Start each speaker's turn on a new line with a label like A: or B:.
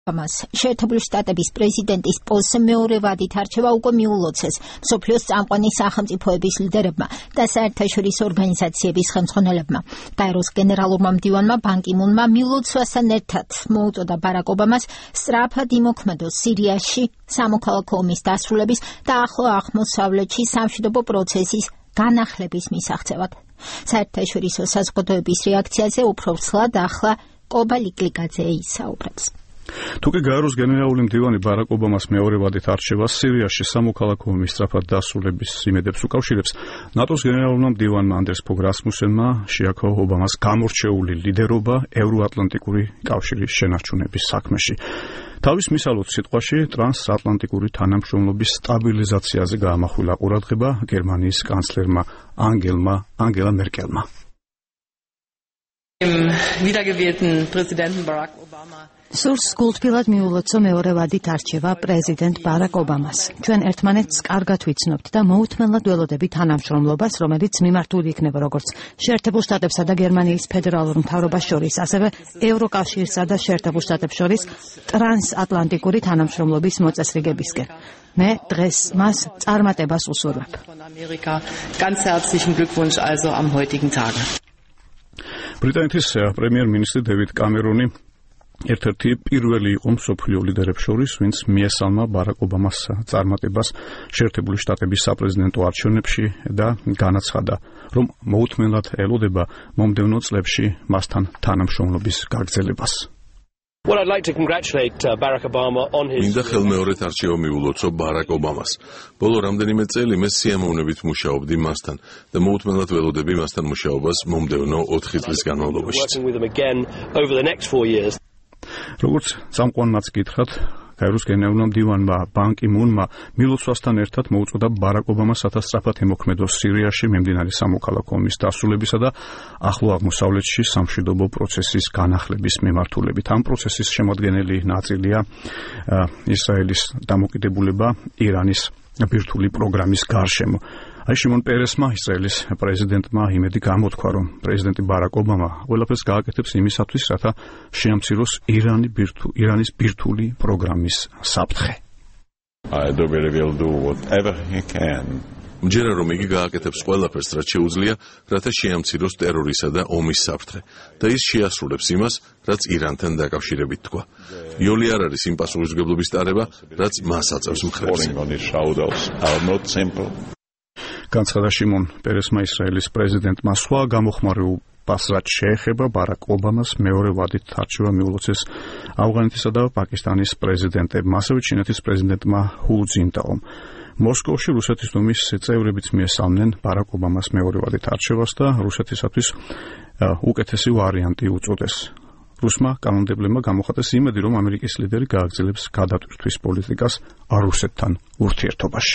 A: შეერთებული შტატების პრეზიდენტის პოსტზე მეორე ვადით არჩევა უკვე მიულოცეს მსოფლიოს წამყვანი სახელმწიფოების ლიდერებმა და საერთაშორისო ორგანიზაციების ხელმძღვანელებმა. გაეროს გენერალურმა მდივანმა ბან კი მუნმა მიულოცვასთან ერთად მოუწოდა ბარაკ ობამას სწრაფად იმოქმედოს სირიაში სამოქალაქო ომის დასრულების და ახლო აღმოსავლეთში სამშვიდობო პროცესის განახლების მისაღწევად. საერთაშორისო საზოგადოების რეაქციაზე უფრო ცლად ახლა კობა ლიკლიკაძე ისაუბრებს.
B: თუკი გაეროს გენერალური მდივანი ბარაკ ობამას მეორე ვადით არჩევას სირიაში სამოქალაქო ომის სწრაფად დასრულების იმედებს უკავშირებს, ნატოს გენერალურმა მდივანმა ანდრეს ფოგ რასმუსენმა შეაქო ობამას გამორჩეული ლიდერობა ევროატლანტიკური კავშირის შენარჩუნების საქმეში. თავის მისალოთ სიტყვაში ტრანსატლანტიკური თანამშრომლობის სტაბილიზაციაზე გაამახვილა ყურადღება გერმანიის კანცლერმა ანგელა მერკელმა.
C: სურს გულთბილად მიულოცო მეორე ვადით არჩევა პრეზიდენტ ბარაკ ობამას. ჩვენ ერთმანეთს კარგად ვიცნობთ და მოუთმენლად ველოდები თანამშრომლობას, რომელიც მიმართული იქნება როგორც შეერთებულ შტატებსა და გერმანიის ფედერალურ მთავრობას შორის, ასევე ევროკავშირსა და შეერთებულ შტატებს შორის ტრანსატლანტიკური თანამშრომლობის მოწესრიგებისკენ. მე დღეს მას წარმატებას უსურვებ.
B: ბრიტანეთის პრემიერ-მინისტრი დევიდ კამერონი ერთ-ერთი პირველი იყო მსოფლიო ლიდერებს შორის, ვინც მიესალმა ბარაკ ობამას წარმატებას შეერთებული შტატების საპრეზიდენტო არჩევნებში და განაცხადა, რომ მოუთმენლად ელოდება მომდევნო წლებში მასთან თანამშრომლობის გაგრძელებას.
D: მინდა ხელმეორედ არჩევა მიულოცო ბარაკ ობამას. ბოლო რამდენიმე წელი მე სიამოვნებით მუშაობდი მასთან და მოუთმენლად ველოდები მასთან მუშაობას მომდევნო 4 წლის განმავლობაში.
B: როგორც წამყვანმაც გითხრათ, გაეროს გენერალურმა მდივანმა ბან კი მუნმა მილოცვასთან ერთად მოუწოდა ბარაკ ობამას სწრაფად ემოქმედოს სირიაში მიმდინარე სამოქალაქო ომის დასრულებისა და ახლო აღმოსავლეთში სამშვიდობო პროცესის განახლების მიმართულებით. ამ პროცესის შემადგენელი ნაწილია ისრაელის დამოკიდებულება ირანის ბირთვული პროგრამის გარშემო. შიმონ პერესმა, ისრაელის პრეზიდენტმა იმედი გამოთქვა, რომ პრეზიდენტი ბარაკ ობამა ყველაფერს გააკეთებს იმისათვის, რათა შეამციროს ირანის ბირთვული პროგრამის საფრთხე.
D: მჯერა რომ იგი გააკეთებს ყველაფერს, რაც შეუძლია, რათა შეამციროს ტერორისა და ომის საფრთხე და ის შეასრულებს იმას, რაც ირანთან დაკავშირებით თქვა. იოლი არ არის იმ პასუხისმგებლობის ტარება, რაც მას აწევს მხრებს.
B: განცხადა შიმონ პერესმა ისრაელის პრეზიდენტმა სხვა გამოხმაურებას, რაც შეეხება ბარაკ ობამას მეორე ვადით არჩევა მიულოცეს ავღანეთისა და პაკისტანის პრეზიდენტებმა, ასევე ჩინეთის პრეზიდენტმა ჰუ ძინტაომ. მოსკოვში რუსეთის დუმის წევრებიც მიესალმნენ ბარაკ ობამას მეორე ვადით არჩევას და რუსეთისათვის უკეთესი ვარიანტი უწოდეს. რუსმა კანონმდებლებმა გამოხატეს იმედი, რომ ამერიკის ლიდერი გააგრძელებს გადატვირთვის პოლიტიკას რუსეთთან ურთიერთობაში.